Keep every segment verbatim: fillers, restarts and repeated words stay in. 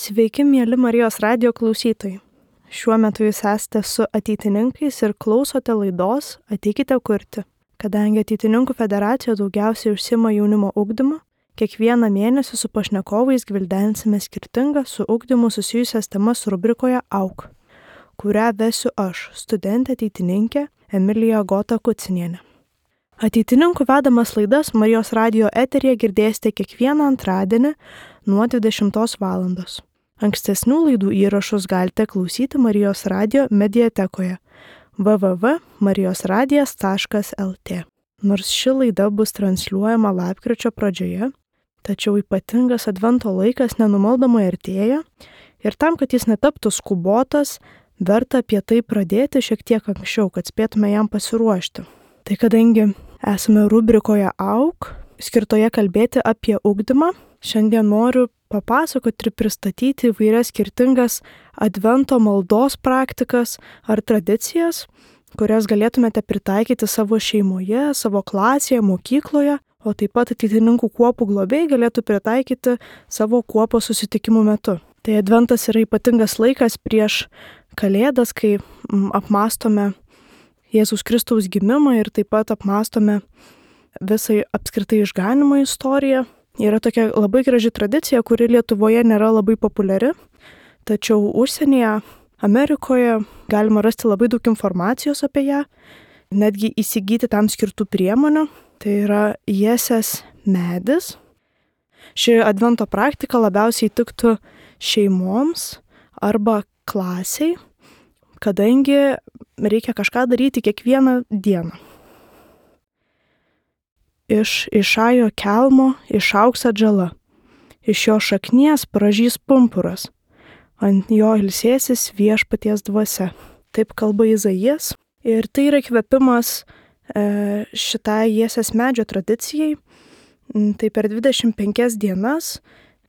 Sveiki, mieli Marijos radijo klausytojai. Šiuo metu jūs esate su ateitininkais ir klausote laidos Ateikite kurti. Kadangi Ateitininkų federacija daugiausiai užsima jaunimo ugdymu, kiekvieną mėnesį su pašnekovais gvildensime skirtingas su ugdymu susijusias temas rubrikoje Auk, kurią vesiu aš, studentė ateitininkė Emilija Gota Kucinienė. Ateitininkų vedamas laidas Marijos radijo eteryje girdėsite kiekvieną antradienį nuo dvidešimtos valandos. Ankstesnių laidų įrašus galite klausyti Marijos radijo mediatekoje w w w taškas marijos radijas taškas l t. Nors ši laida bus transliuojama lapkričio pradžioje, tačiau ypatingas advento laikas nenumaldomai artėja ir tam, kad jis netaptų skubotas, verta apie tai pradėti šiek tiek anksčiau, kad spėtume jam pasiruošti. Tai kadangi esame rubrikoje Auk, skirtoje kalbėti apie ugdymą, šiandien noriu papasakoti ir pristatyti įvairias skirtingas advento maldos praktikas ar tradicijas, kurias galėtumėte pritaikyti savo šeimoje, savo klasėje, mokykloje, o taip pat ateitininkų kuopų globėjai galėtų pritaikyti savo kuopos susitikimų metu. Tai adventas yra ypatingas laikas prieš Kalėdas, kai apmąstome Jėzaus Kristaus gimimą ir taip pat apmąstome visai apskritai išganimo istoriją. Yra tokia labai graži tradicija, kuri Lietuvoje nėra labai populiari, tačiau užsienyje, Amerikoje galima rasti labai daug informacijos apie ją, netgi įsigyti tam skirtų priemonių. Tai yra Jesės medis. Ši advento praktika labiausiai tiktų šeimoms arba klasiai, kadangi reikia kažką daryti kiekvieną dieną. Iš Išajo kelmo išaugs atžala, iš jo šaknies pražys pumpuras, ant jo ilsėsis viešpaties dvasia. Taip kalba Izaijas. Ir tai yra įkvėpimas e, šitai Jesės medžio tradicijai. Tai per dvidešimt penkias dienas,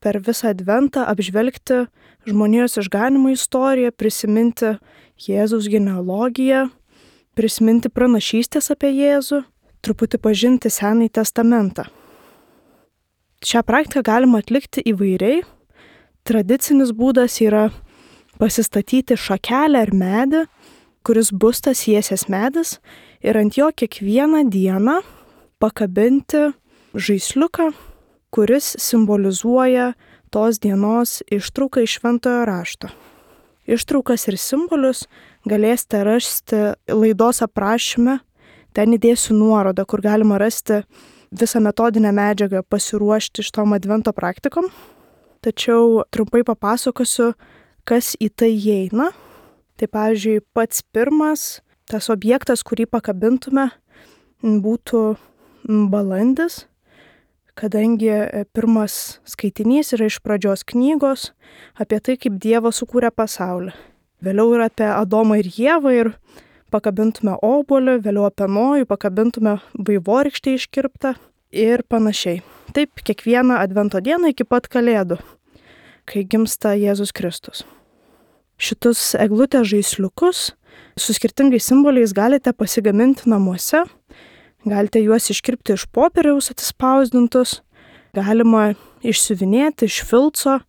per visą adventą apžvelgti žmonijos išganimo istoriją, prisiminti Jėzaus genealogiją, prisiminti pranašystės apie Jėzų, truputį pažinti Senąjį testamentą. Šią praktiką galima atlikti įvairiai. Tradicinis būdas yra pasistatyti šakelę ar medį, kuris bus tas Jesės medis, ir ant jo kiekvieną dieną pakabinti žaisliuką, kuris simbolizuoja tos dienos ištrauką iš Šventojo rašto. Ištraukas ir simbolius galėsite rasti laidos aprašyme. Ten įdėsiu nuorodą, kur galima rasti visą metodinę medžiagą pasiruošti šitom advento praktikom. Tačiau trumpai papasakosiu, kas į tai įeina. Tai pavyzdžiui, pats pirmas, tas objektas, kurį pakabintume, būtų balandis, kadangi pirmas skaitinys yra iš pradžios knygos apie tai, kaip Dievas sukūrė pasaulį. Vėliau yra apie Adomą ir Ievą ir pakabintume obuolį, vėliau apie Nojų, pakabintume vaivorykštę iškirptą ir panašiai. Taip kiekvieną advento dieną iki pat Kalėdų, kai gimsta Jėzus Kristus. Šitus eglutės žaisliukus su skirtingais simboliais galite pasigaminti namuose, galite juos iškirpti iš popieriaus atsispausdintus, galima išsiuvinėti iš filco,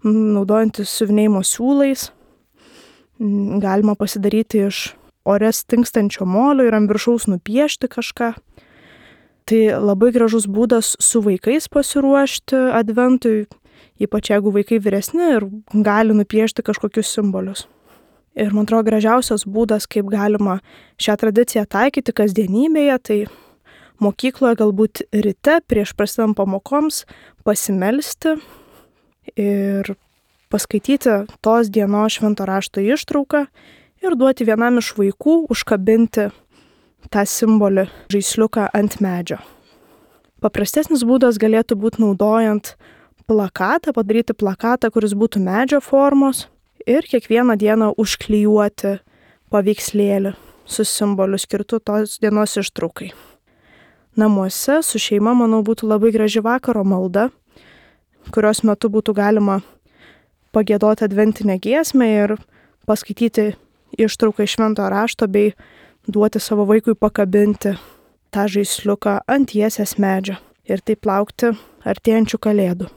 naudojantis siuvinėjimo siūlais, galima pasidaryti iš ore stinkstančio molio ir ant viršaus nupiešti kažką. Tai labai gražus būdas su vaikais pasiruošti adventui, ypač jeigu vaikai vyresni ir gali nupiešti kažkokius simbolius. Ir man atrodo gražiausias būdas, kaip galima šią tradiciją taikyti kasdienybėje, tai mokykloje galbūt ryte prieš prasidedant pamokoms pasimelsti ir paskaityti tos dienos švento rašto ištrauką ir duoti vienam iš vaikų užkabinti tą simbolį žaisliuką ant medžio. Paprastesnis būdas galėtų būti naudojant plakatą, padaryti plakatą, kuris būtų medžio formos ir kiekvieną dieną užklijuoti paveikslėlį su simboliu skirtu tos dienos ištraukai. Namuose su šeima, manau, būtų labai graži vakaro malda, kurios metu būtų galima pagiedoti adventinę giesmę ir paskaityti ištrauką iš Šventojo rašto bei duoti savo vaikui pakabinti tą žaisliuką ant Jesės medžio ir taip laukti artėjančių Kalėdų.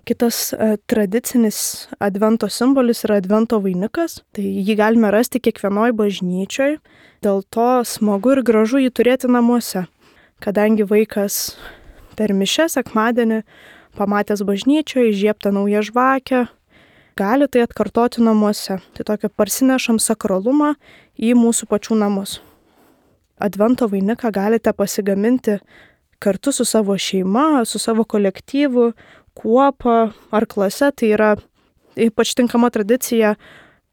Kitas e, tradicinis advento simbolis yra advento vainikas. Tai jį galime rasti kiekvienoj bažnyčioj. Dėl to smagu ir gražu jį turėti namuose. Kadangi vaikas per mišias sekmadienį pamatęs bažnyčioje įžiebtą naują žvakę, gali tai atkartoti namuose. Tai tokio parsinešam sakralumą į mūsų pačių namus. Advento vainiką galite pasigaminti kartu su savo šeima, su savo kolektyvu, kuopa ar klase. Tai yra ypač tinkama tradicija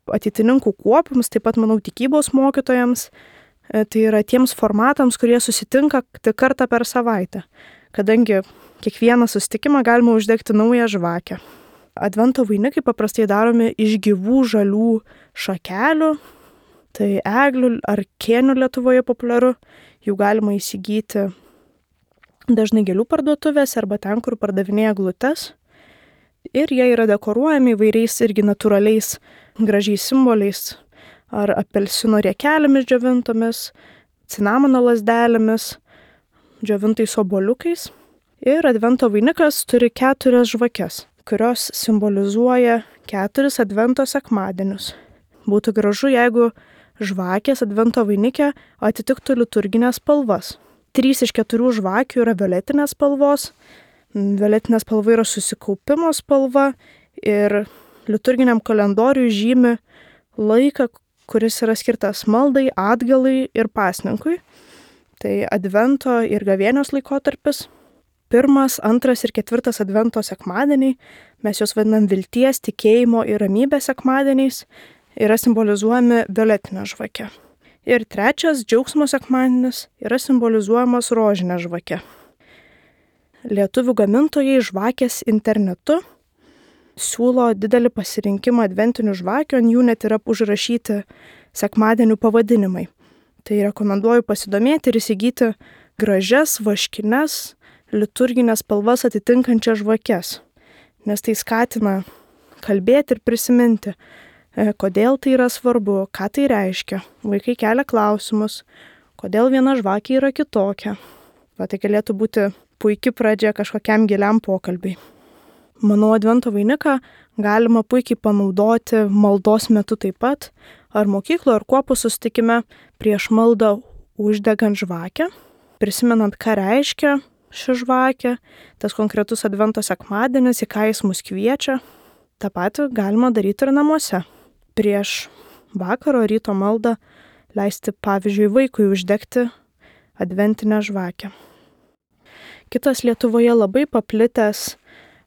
ateitininkų kuopams, taip pat, manau, tikybos mokytojams. Tai yra tiems formatams, kurie susitinka tik kartą per savaitę, kadangi kiekvieną susitikimą galima uždegti naują žvakę. Advento vainikai paprastai daromi iš gyvų žalių šakelių, tai eglių ar kėnių Lietuvoje populiaru. Jų galima įsigyti dažnai gėlių parduotuvėse arba ten, kur pardavinėja eglutes. Ir jie yra dekoruojami įvairiais irgi natūraliais gražiais simboliais. Ar apelsino riekelėmis džiovintomis, cinamono lazdelėmis, džiovintais obuoliukais. Ir advento vainikas turi keturias žvakes, kurios simbolizuoja keturis advento sekmadienius. Būtų gražu, jeigu žvakės advento vainike atitiktų liturginės spalvas. Trys iš keturių žvakių yra violetinės spalvos. Violetinė spalva yra susikaupimo spalva ir liturginiam kalendoriui žymi laiką, kuris yra skirtas maldai, atgalai ir pasninkui. Tai advento ir gavėnios laikotarpis. Pirmas, antras ir ketvirtas advento sekmadieniai, mes juos vadinam vilties, tikėjimo ir ramybės sekmadieniais, yra simbolizuojami violetinė žvakė. Ir trečias, džiaugsmo sekmadienis, yra simbolizuojamas rožinė žvakė. Lietuvių gamintojai žvakės internetu siūlo didelį pasirinkimą adventinių žvakių, ant jų net yra užrašyti sekmadienių pavadinimai. Tai rekomenduoju pasidomėti ir įsigyti gražias, vaškines, liturginės spalvas atitinkančias žvakes, nes tai skatina kalbėti ir prisiminti, kodėl tai yra svarbu, ką tai reiškia. Vaikai kelia klausimus, kodėl viena žvakė yra kitokia. Va, tai galėtų būti puikia pradžia kažkokiam giliam pokalbiui. Manau, advento vainiką galima puikiai panaudoti maldos metu taip pat, ar mokyklo, ar kuopų susitikime prieš maldą uždegant žvakę, prisimenant, ką reiškia ši žvakė, tas konkretus advento sekmadienis, į ką jis mus kviečia. Ta patį galima daryti ir namuose. Prieš vakaro ryto maldą leisti, pavyzdžiui, vaikui uždegti adventinę žvakę. Kitas Lietuvoje labai paplitęs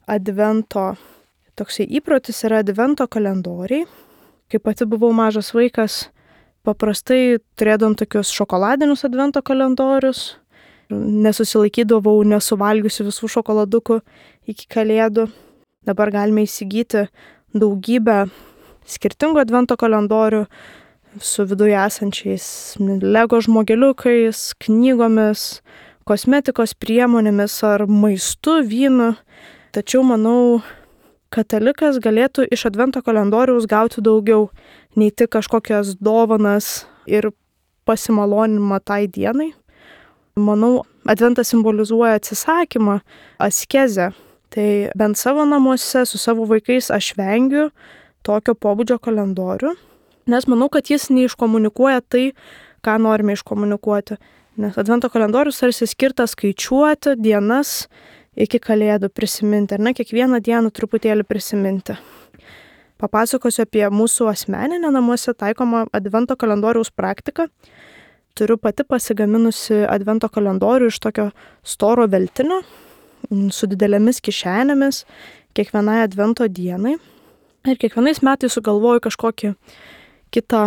advento toksai įprotis yra advento kalendoriai. Kai pati buvau mažas vaikas, paprastai turėdavom tokius šokoladinius advento kalendorius. Nesusilaikydavau nesuvalgiusi visų šokoladukų iki kalėdų. Dabar galime įsigyti daugybę skirtingų advento kalendorių su viduje esančiais Lego žmogeliukais, knygomis, kosmetikos priemonėmis ar maistu, vynu. Tačiau, manau, katalikas galėtų iš advento kalendoriaus gauti daugiau, nei tik kažkokias dovanas ir pasimalonimą tai dienai. Manau, adventas simbolizuoja atsisakymą, askezę. Tai bent savo namuose su savo vaikais aš vengiu tokio pobūdžio kalendorių, nes manau, kad jis neiškomunikuoja tai, ką norime iškomunikuoti. Nes advento kalendorius tarsi skirtas skaičiuoti dienas iki kalėdų, prisiminti, ar ne, kiekvieną dieną truputėlį prisiminti. Papasakosiu apie mūsų asmeninę namuose taikomą advento kalendoriaus praktiką. Turiu pati pasigaminusi advento kalendorių iš tokio storo veltinio, su didelėmis kišenėmis kiekvienai advento dienai. Ir kiekvienais metais sugalvoju kažkokį kitą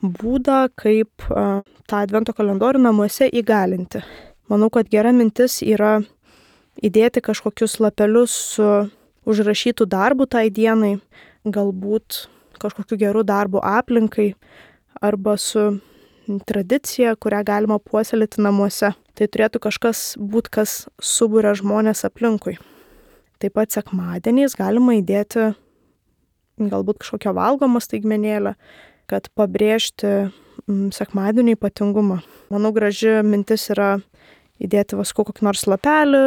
būdą, kaip uh, tą advento kalendorių namuose įgalinti. Manau, kad gera mintis yra įdėti kažkokius lapelius su užrašytų darbų tai dienai, galbūt kažkokiu geru darbu aplinkai arba su tradicija, kurią galima puoselėti namuose. Tai turėtų kažkas būt, kas suburia žmonės aplinkui. Taip pat sekmadieniais galima įdėti galbūt kažkokią valgomą staigmenėlę, kad pabrėžti sekmadienio ypatingumą. Manau, graži mintis yra įdėti vaskų kokį nors lapelį,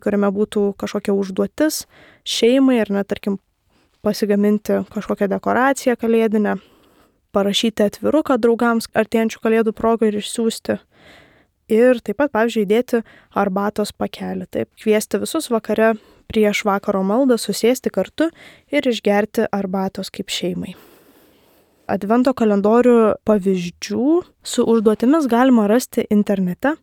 kuriame būtų kažkokia užduotis šeimai ar net, tarkim, pasigaminti kažkokią dekoraciją kalėdinę, parašyti atviruką draugams artėjančių kalėdų progą ir išsiųsti. Ir taip pat, pavyzdžiui, įdėti arbatos pakelį. Taip, kviesti visus vakare prieš vakaro maldą susėsti kartu ir išgerti arbatos kaip šeimai. Advento kalendorių pavyzdžių su užduotimis galima rasti internete.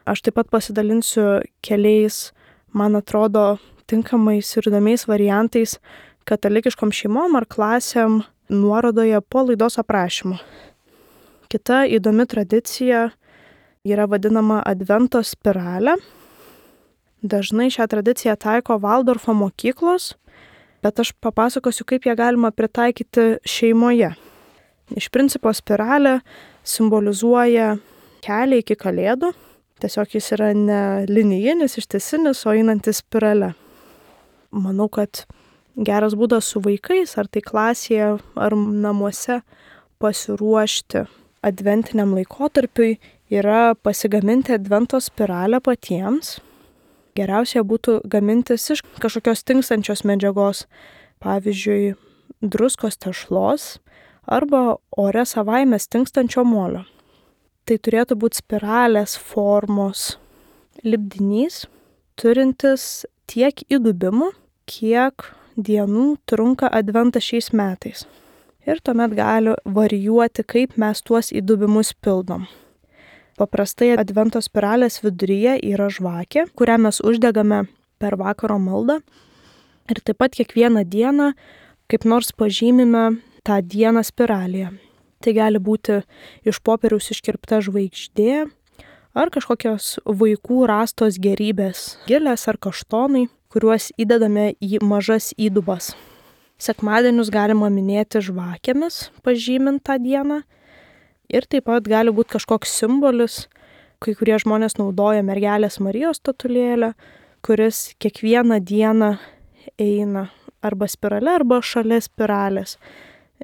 Aš taip pat pasidalinsiu keliais, man atrodo, tinkamais ir įdomiais variantais katalikiškom šeimom ar klasėm nuorodoje po laidos aprašymu. Kita įdomi tradicija yra vadinama Advento spiralė. Dažnai šią tradiciją taiko Valdorfo mokyklos, bet aš papasakosiu, kaip ją galima pritaikyti šeimoje. Iš principo spiralė simbolizuoja kelią iki kalėdų. Tiesiog jis yra ne linijinis, ištisinis, o einantis spirale. Manau, kad geras būdas su vaikais, ar tai klasėje, ar namuose pasiruošti adventiniam laikotarpiui yra pasigaminti advento spiralę patiems. Geriausia būtų gamintis iš kažkokios tinkstančios medžiagos, pavyzdžiui, druskos tešlos arba ore savaime tinkstančio molio. Tai turėtų būti spiralės formos lipdinys, turintis tiek įdubimų, kiek dienų trunka adventas šiais metais. Ir tuomet gali varijuoti, kaip mes tuos įdubimus pildom. Paprastai advento spiralės viduryje yra žvakė, kurią mes uždegame per vakaro maldą. Ir taip pat kiekvieną dieną kaip nors pažymime tą dieną spiralėje. Tai gali būti iš popieriaus iškirpta žvaigždė ar kažkokios vaikų rastos gerybės, gėlės ar kaštonai, kuriuos įdedame į mažas įdubas. Sekmadienius galima minėti žvakėmis, pažymint tą dieną. Ir taip pat gali būti kažkoks simbolis, kai kurie žmonės naudoja mergelės Marijos statulėlę, kuris kiekvieną dieną eina arba spirale, arba šalia spiralės.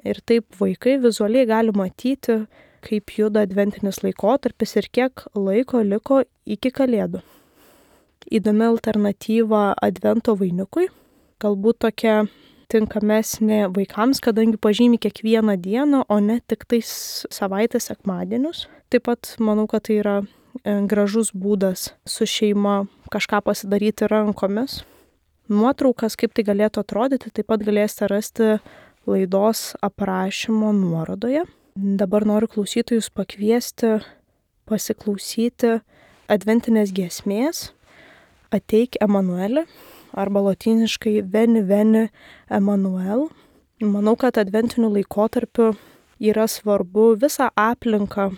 Ir taip vaikai vizualiai gali matyti, kaip juda adventinis laikotarpis ir kiek laiko liko iki kalėdų. Įdomi alternatyva advento vainikui, galbūt tokia tinkamesnė vaikams, kadangi pažymi kiekvieną dieną, o ne tik tais savaitės sekmadienius. Taip pat manau, kad tai yra gražus būdas su šeima kažką pasidaryti rankomis. Nuotraukas, kaip tai galėtų atrodyti, taip pat galėsite rasti laidos aprašymo nuorodoje. Dabar noriu klausytojus pakviesti pasiklausyti adventinės giesmės Ateik Emanueli, arba lotyniškai Veni Veni Emanuel. Manau, kad adventiniu laikotarpiu yra svarbu visą aplinką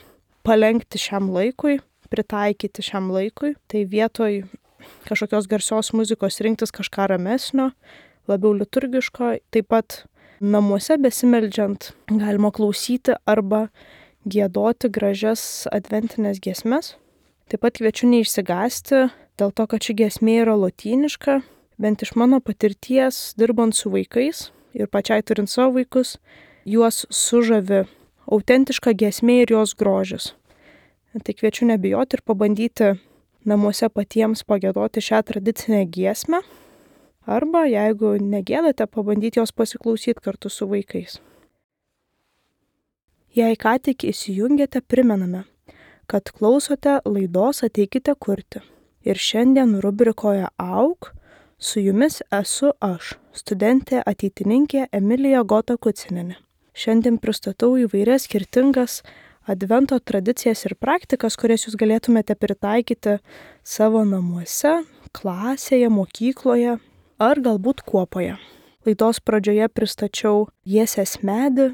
palenkti šiam laikui, pritaikyti šiam laikui. Tai vietoj kažkokios garsios muzikos rinktis kažką ramesnio, labiau liturgiško. Taip pat namuose besimeldžiant galima klausyti arba giedoti gražias adventinės giesmes. Taip pat kviečiu neišsigąsti dėl to, kad ši giesmė yra lotyniška. Bent iš mano patirties, dirbant su vaikais ir pačiai turint savo vaikus, juos sužavi autentiška giesmė ir jos grožis. Tai kviečiu nebijoti ir pabandyti namuose patiems pagiedoti šią tradicinę giesmę. Arba, jeigu negėdate, pabandyti jos pasiklausyti kartu su vaikais. Jei ką tik įsijungėte, primename, kad klausote laidos Ateikite kurti. Ir šiandien rubrikoje Auk su jumis esu aš, studentė ateitininkė Emilija Gota Kucinienė. Šiandien pristatau įvairias skirtingas advento tradicijas ir praktikas, kurias jūs galėtumėte pritaikyti savo namuose, klasėje, mokykloje ar galbūt kuopoje. Laidos pradžioje pristačiau Jiesės medį,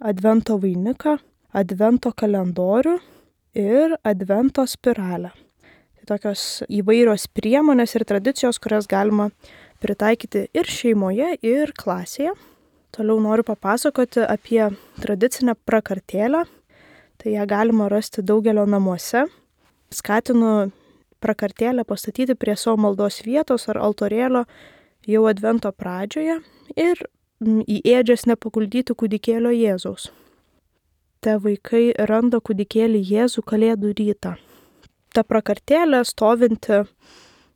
advento vainiką, advento kalendorių ir advento spiralę. Tokios įvairios priemonės ir tradicijos, kurias galima pritaikyti ir šeimoje, ir klasėje. Toliau noriu papasakoti apie tradicinę prakartėlę. Tai ją galima rasti daugelio namuose. Skatinu prakartėlę pastatyti prie savo maldos vietos ar altorėlio jau advento pradžioje ir į ėdžias nepaguldyti kūdikėlio Jėzaus. Te vaikai randa kūdikėlį Jėzų kalėdų rytą. Ta prakartėlė stovinti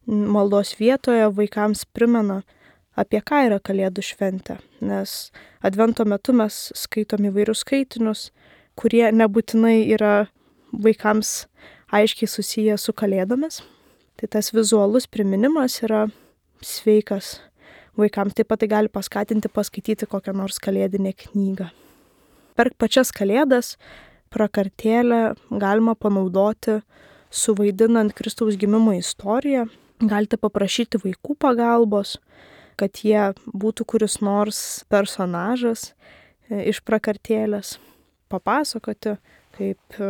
maldos vietoje vaikams primena, apie ką yra Kalėdų šventė, nes Advento metu mes skaitom įvairius skaitinius, kurie nebūtinai yra vaikams aiškiai susiję su Kalėdomis. Tai tas vizualus priminimas yra sveikas vaikams, taip pat tai gali paskatinti paskaityti kokią nors kalėdinę knygą. Per pačias Kalėdas prakartėlę galima panaudoti suvaidinant Kristaus gimimo istoriją. Galite paprašyti vaikų pagalbos, kad jie būtų kuris nors personažas iš prakartėlės, papasakoti, kaip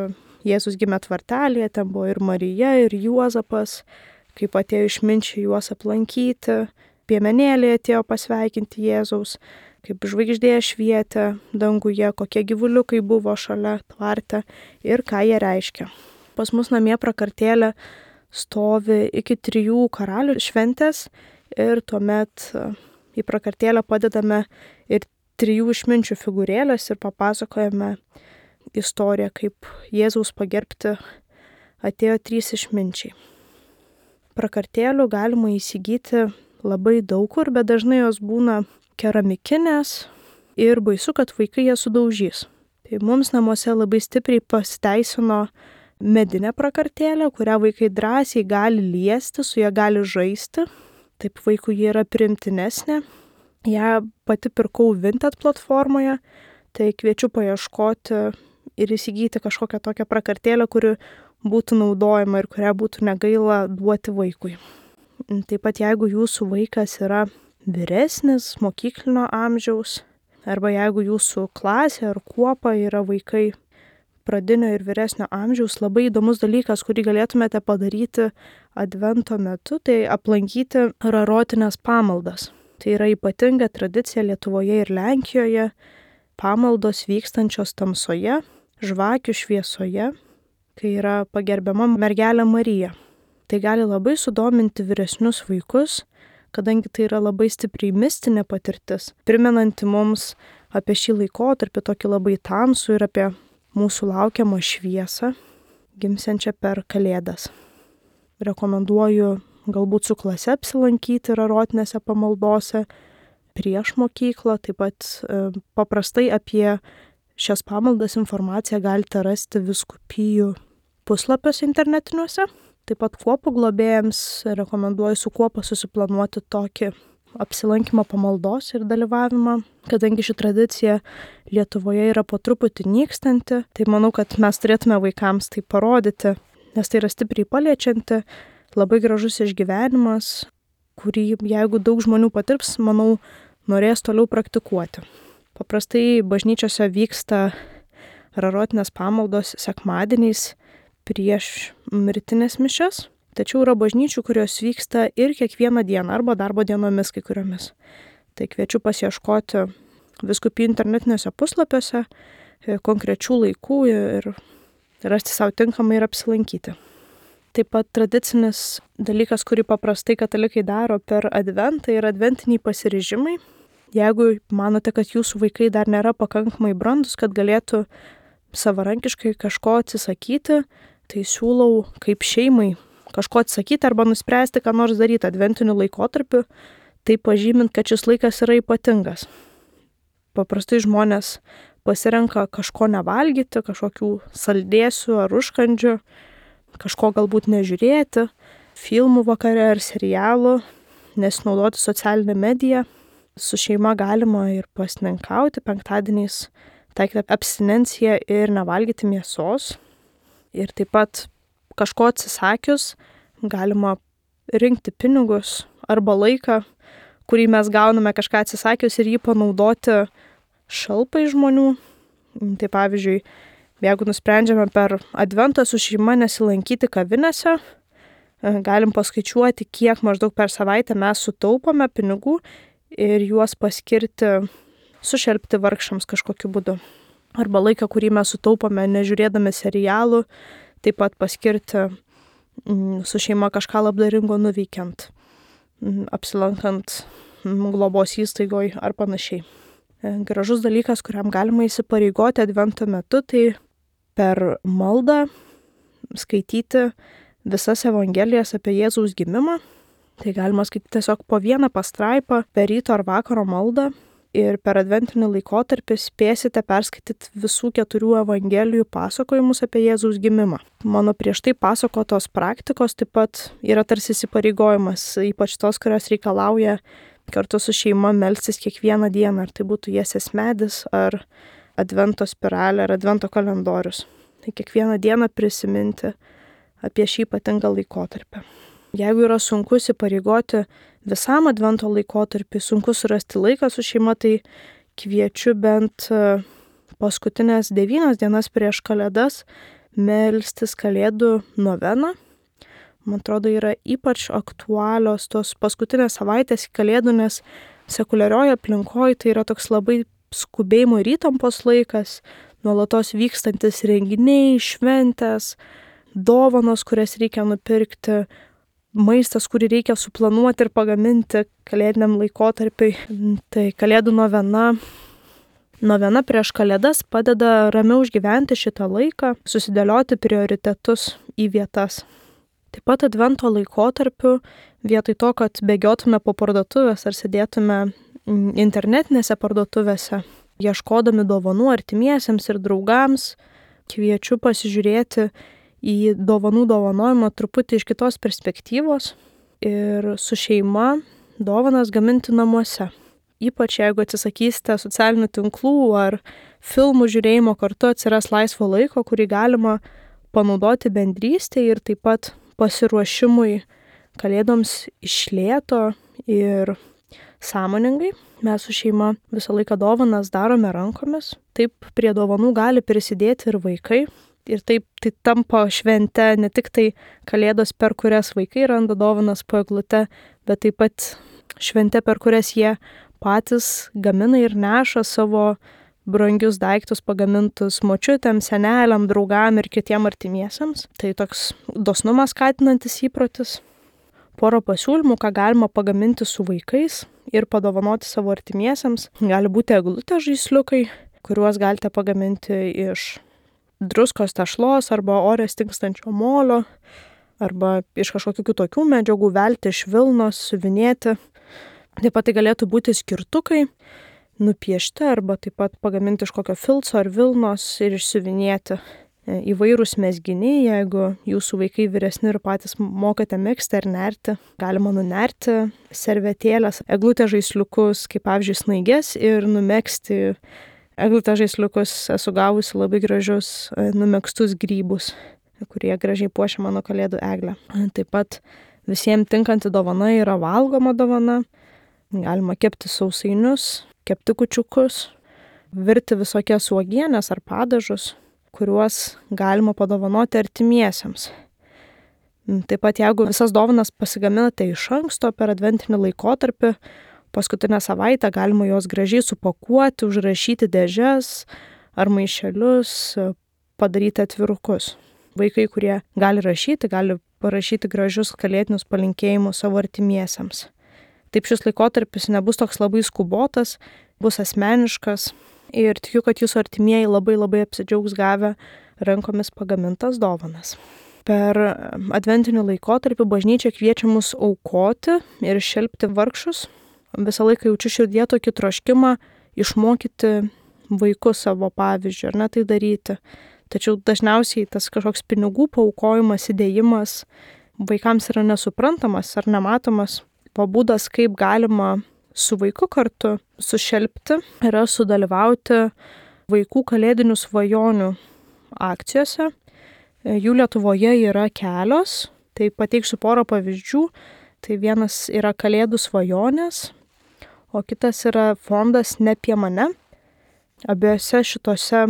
Jėzus gimė tvartelėje, ten buvo ir Marija, ir Juozapas, kaip atėjo išminčiai juos aplankyti, piemenėliai atėjo pasveikinti Jėzaus, kaip žvaigždė švietė danguje, kokie gyvuliukai buvo šalia tvarte ir ką jie reiškia. Pas mus namie prakartėlė stovi iki trijų karalių šventės ir tuomet į prakartėlę padedame ir trijų išminčių figūrėlės ir papasakojame istoriją, kaip Jėzaus pagerbti atėjo trys išminčiai. Prakartėlių galima įsigyti labai daug kur, bet dažnai jos būna keramikinės ir baisu, kad vaikai jas sudaužys. Tai mums namuose labai stipriai pasiteisino medinė prakartėlė, kurią vaikai drąsiai gali liesti, su ją gali žaisti. Taip vaikui ji yra priimtinesnė. Ja pati pirkau Vinted platformoje, tai kviečiu paieškoti ir įsigyti kažkokią tokią prakartėlę, kuri būtų naudojama ir kurią būtų negaila duoti vaikui. Taip pat jeigu jūsų vaikas yra vyresnis, mokyklinio amžiaus, arba jeigu jūsų klasė ar kuopa yra vaikai pradinio ir vyresnio amžiaus, labai įdomus dalykas, kurį galėtumėte padaryti Advento metu, tai aplankyti rarotinės pamaldas. Tai yra ypatinga tradicija Lietuvoje ir Lenkijoje, pamaldos vykstančios tamsoje, žvakių šviesoje, kai yra pagerbiama mergelė Marija. Tai gali labai sudominti vyresnius vaikus, kadangi tai yra labai stipriai mistinė patirtis, primenanti mums apie šį laikotarpį tokį labai tamsų ir apie mūsų laukiamą šviesą, gimsiančią per Kalėdas. Rekomenduoju galbūt su klase apsilankyti rarotinėse pamaldose prieš mokyklą. Taip pat e, paprastai apie šias pamaldas informaciją galite rasti vyskupijų puslapiuose internetiniuose. Taip pat kuopų globėjams rekomenduoju su kuopa susiplanuoti tokį apsilankymą pamaldos ir dalyvavimą, kadangi ši tradicija Lietuvoje yra po truputį nykstanti, tai manau, kad mes turėtume vaikams tai parodyti, nes tai yra stipriai paliečianti, labai gražus išgyvenimas, kurį jeigu daug žmonių patirs, manau, norės toliau praktikuoti. Paprastai bažnyčiose vyksta rarotinės pamaldos sekmadieniais prieš mirtinės mišias. Tačiau yra bažnyčių, kurios vyksta ir kiekvieną dieną arba darbo dienomis kai kuriomis. Tai kviečiu pasiieškoti vyskupijų internetiniuose puslapiuose konkrečių laikų ir rasti savo tinkamai ir apsilankyti. Taip pat tradicinis dalykas, kurį paprastai katalikai daro per Adventą, yra adventiniai pasiryžimai. Jeigu manote, kad jūsų vaikai dar nėra pakankamai brandus, kad galėtų savarankiškai kažko atsisakyti, tai siūlau kaip šeimai kažko atsakyti arba nuspręsti, ką nors daryti adventiniu laikotarpiu, tai pažymint, kad šis laikas yra ypatingas. Paprastai žmonės pasirenka kažko nevalgyti, kažkokių saldėsių ar užkandžių, kažko galbūt nežiūrėti, filmų vakare ar serialų, nesinaudoti socialinę mediją. Su šeima galima ir pasninkauti, penktadieniais taikyti abstinenciją ir nevalgyti mėsos. Ir taip pat kažko atsisakius galima rinkti pinigus arba laiką, kurį mes gauname kažką atsisakius ir jį panaudoti šalpai žmonių. Tai pavyzdžiui, jeigu nusprendžiame per Adventą su šeima nesilankyti kavinėse, galim paskaičiuoti, kiek maždaug per savaitę mes sutaupome pinigų ir juos paskirti, sušelpti vargšams kažkokiu būdu. Arba laiką, kurį mes sutaupome nežiūrėdami serialų, taip pat paskirti su šeima kažką labdaringo nuveikiant, apsilankant globos įstaigoj ar panašiai. Gražus dalykas, kuriam galima įsipareigoti Advento metu, tai per maldą skaityti visas evangelijas apie Jėzaus gimimą. Tai galima skaityti tiesiog po vieną pastraipą per ryto ar vakaro maldą ir per adventinį laikotarpį spėsite perskaityti visų keturių evangelijų pasakojimus apie Jėzaus gimimą. Mano prieš tai pasakotos praktikos taip pat yra tarsi įsipareigojimas, ypač tos, kurios reikalauja kartu su šeima melstis kiekvieną dieną, ar tai būtų Jesės medis, ar advento spiralė, ar advento kalendorius. Tai kiekvieną dieną prisiminti apie šį ypatingą laikotarpį. Jeigu yra sunku įsipareigoti visam advento laikotarpį, sunku surasti laiką su šeima, tai kviečiu bent paskutinės devynias dienas prieš kalėdas melstis kalėdų noveną. Man atrodo, yra ypač aktualios tos paskutinės savaitės kalėdų, nes sekuliarioje aplinkoje tai yra toks labai skubėjimo ir įtampos laikas, nuolatos vykstantis renginiai, šventės, dovanos, kurias reikia nupirkti, maistas, kurį reikia suplanuoti ir pagaminti kalėdiniam laikotarpiui. Tai kalėdų novena. Novena prieš kalėdas padeda ramiau išgyventi šitą laiką, susidėlioti prioritetus į vietas. Taip pat advento laikotarpiu, vietoj to, kad bėgiotume po parduotuvės ar sėdėtume internetinėse parduotuvėse, ieškodami dovanų artimiesiems ir draugams, kviečiu pasižiūrėti į dovanų dovanojimą truputį iš kitos perspektyvos ir su šeima dovanas gaminti namuose. Ypač jeigu atsisakysite socialinių tinklų ar filmų žiūrėjimo, kartu atsiras laisvo laiko, kurį galima panaudoti bendrystėje ir taip pat pasiruošimui kalėdoms iš lėto ir sąmoningai. Mes su šeima visą laiką dovanas darome rankomis. Taip prie dovanų gali prisidėti ir vaikai. Ir taip tai tampa švente ne tik tai kalėdos, per kurias vaikai randa dovanas po eglute, bet taip pat švente, per kurias jie patys gamina ir neša savo brangius daiktus pagamintus močiutėm, seneliam, draugam ir kitiem artimiesiams. Tai toks dosnumas skatinantis įprotis. Porą pasiūlymų, ką galima pagaminti su vaikais ir padovanoti savo artimiesiams. Gali būti eglutės žaisliukai, kuriuos galite pagaminti iš druskos tešlos arba ore stingstančio molio, arba iš kažkokių kitokių medžiagų, velti iš vilnos, siuvinėti. Taip pat tai galėtų būti skirtukai, nupiešti arba taip pat pagaminti iš kokio filco ar vilnos ir išsiuvinėti. Įvairūs mezginiai, jeigu jūsų vaikai vyresni ir patys mokate megzti ar nerti, galima nunerti servetėlės, eglutės žaisliukus, kaip pavyzdžiui snaigės, ir numegzti eglutės žaisliukus. Esu gavusi labai gražius numegztus grybus, kurie gražiai puošia mano kalėdų eglę. Taip pat visiems tinkanti dovana yra valgoma dovana. Galima kepti sausainius, kepti kūčiukus, virti visokias uogienės ar padažus, kuriuos galima padovanoti artimiesiems. Taip pat jeigu visas dovanas pasigaminate iš anksto per adventinį laikotarpį, paskutinę savaitę galima juos gražiai supakuoti, užrašyti dėžes ar maišelius, padaryti atvirukus. Vaikai, kurie gali rašyti, gali parašyti gražius kalėdinius palinkėjimus savo artimiesiems. Taip šis laikotarpis nebus toks labai skubotas, bus asmeniškas ir tikiu, kad jūsų artimieji labai labai apsidžiaugs gavę rankomis pagamintas dovanas. Per adventinį laikotarpį bažnyčia kviečia mus aukoti ir šelpti vargšus. Visą laiką jaučiu širdie tokį troškimą išmokyti vaikus savo pavyzdžių ar ne tai daryti. Tačiau dažniausiai tas kažkoks pinigų paaukojimas, įdėjimas vaikams yra nesuprantamas ar nematomas. Būdas, kaip galima su vaiku kartu sušelpti, yra sudalyvauti vaikų kalėdinių svajonių akcijose. Jų Lietuvoje yra kelios, tai pateiksiu porą pavyzdžių. Tai vienas yra Kalėdų svajonės, o kitas yra fondas Ne apie mane. Abiejose šitose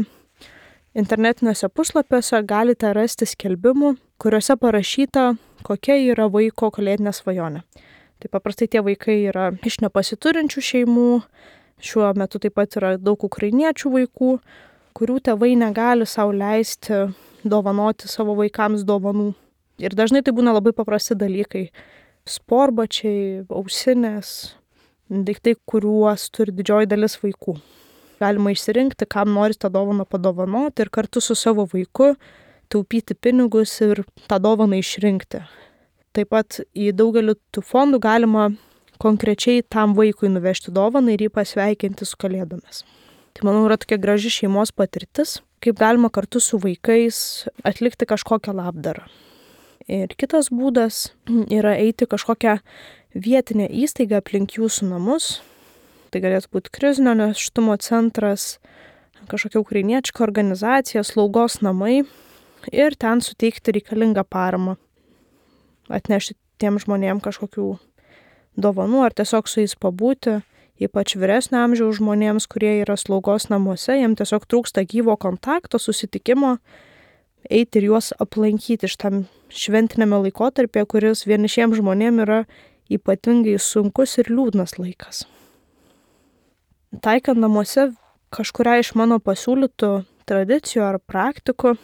internetiniuose puslapiuose galite rasti skelbimų, kuriuose parašyta, kokia yra vaiko kalėdinė svajonė. Tai paprastai tie vaikai yra iš nepasiturinčių šeimų, šiuo metu taip pat yra daug ukrainiečių vaikų, kurių tėvai negali sau leisti dovanoti savo vaikams dovanų. Ir dažnai tai būna labai paprasti dalykai. Sportbačiai, ausinės, daiktai, kuriuos turi didžioji dalis vaikų. Galima išsirinkti, kam nori tą dovaną padovanoti ir kartu su savo vaiku taupyti pinigus ir tą dovaną išrinkti. Taip pat į daugelį tų fondų galima konkrečiai tam vaikui nuvežti dovaną ir jį pasveikinti su Kalėdomis. Tai manau yra tokia graži šeimos patirtis, kaip galima kartu su vaikais atlikti kažkokią labdarą. Ir kitas būdas yra eiti kažkokią vietinę įstaigą aplink jūsų namus. Tai galėtų būti krizinio nėštumo centras, kažkokia ukrainietiška organizacija, slaugos namai ir ten suteikti reikalingą paramą. Atnešti tiem žmonėm kažkokių dovanų ar tiesiog su jais pabūti, ypač vyresnio amžiaus žmonėms, kurie yra slaugos namuose, jiems tiesiog trūksta gyvo kontakto, susitikimo, eiti ir juos aplankyti šitam šventinėme laikotarpyje, kuris vienišiems žmonėms yra ypatingai sunkus ir liūdnas laikas. Taikant namuose kažkuria iš mano pasiūlytų tradicijų ar praktikų,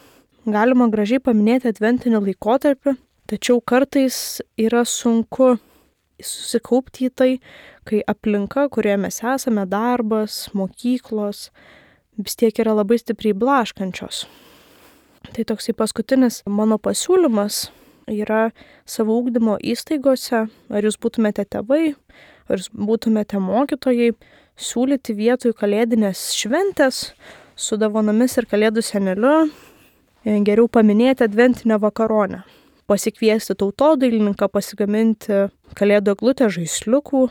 galima gražiai paminėti adventinį laikotarpį, tačiau kartais yra sunku susikaupti į tai, kai aplinka, kurioje mes esame, darbas, mokyklos, vis tiek yra labai stipriai blaškančios. Tai toksai paskutinis mano pasiūlymas yra savo ugdymo įstaigose, ar jūs būtumėte tėvai, ar jūs būtumėte mokytojai, siūlyti vietoj kalėdinės šventės su dovanomis ir kalėdų seneliu, geriau paminėti adventinę vakaronę. Pasikviesti tautodailininką, pasigaminti kalėdų eglutę žaisliukų,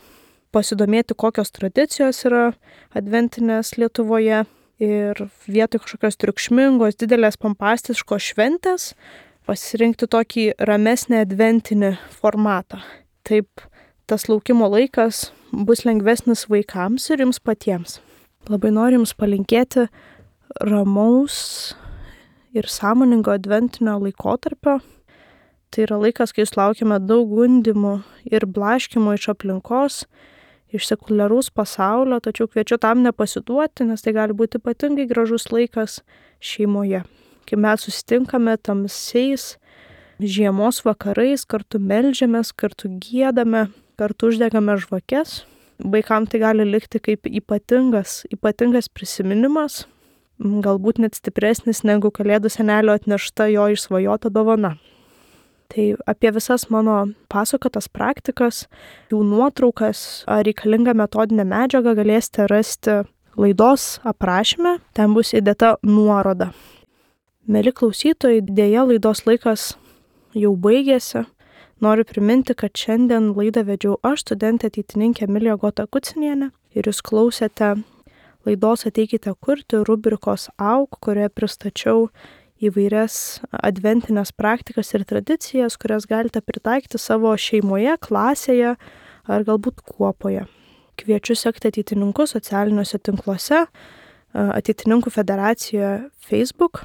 pasidomėti, kokios tradicijos yra adventinės Lietuvoje ir vietoj kažkokios triukšmingos, didelės pompastiškos šventės pasirinkti tokį ramesnį adventinį formatą. Taip tas laukimo laikas bus lengvesnis vaikams ir jums patiems. Labai noriu jums palinkėti ramaus ir sąmoningo adventinio laikotarpio. Tai yra laikas, kai jūs laukiame daug gundimų ir blaškimų iš aplinkos, iš sekuliaraus pasaulio, tačiau kviečiu tam nepasiduoti, nes tai gali būti ypatingai gražus laikas šeimoje. Kai mes susitinkame tamsiais žiemos vakarais, kartu meldžiamės, kartu giedame, kartu uždegame žvakes. Vaikams tai gali likti kaip ypatingas, ypatingas prisiminimas, galbūt net stipresnis negu kalėdų senelio atnešta jo išsvajota dovana. Tai apie visas mano pasakotas praktikas, jų nuotraukas ar reikalingą metodinę medžiagą galėsite rasti laidos aprašyme, ten bus įdėta nuoroda. Mieli klausytojai, dėja laidos laikas jau baigėsi. Noriu priminti, kad šiandien laidą vedžiau aš, studentė ateitininkė Emilija Gota-Kucinienė, ir jūs klausėte laidos Ateikite kurti rubrikos Auk, kurioje pristačiau įvairias adventinės praktikas ir tradicijas, kurias galite pritaikyti savo šeimoje, klasėje ar galbūt kuopoje. Kviečiu sekti ateitininkus socialiniuose tinkluose, Ateitininkų federacijoje Facebook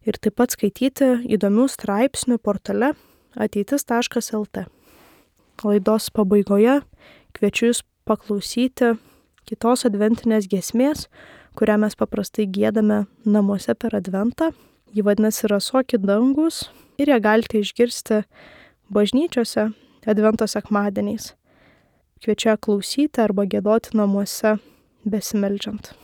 ir taip pat skaityti įdomių straipsnių portale ateitis taškas el tė. Laidos pabaigoje kviečiu jūs paklausyti kitos adventinės giesmės, kurią mes paprastai giedame namuose per adventą. Ji vadinasi Rasoki dangus ir ją galite išgirsti bažnyčiose advento sekmadieniais. Kviečiu ją klausyti arba giedoti namuose besimeldžiant.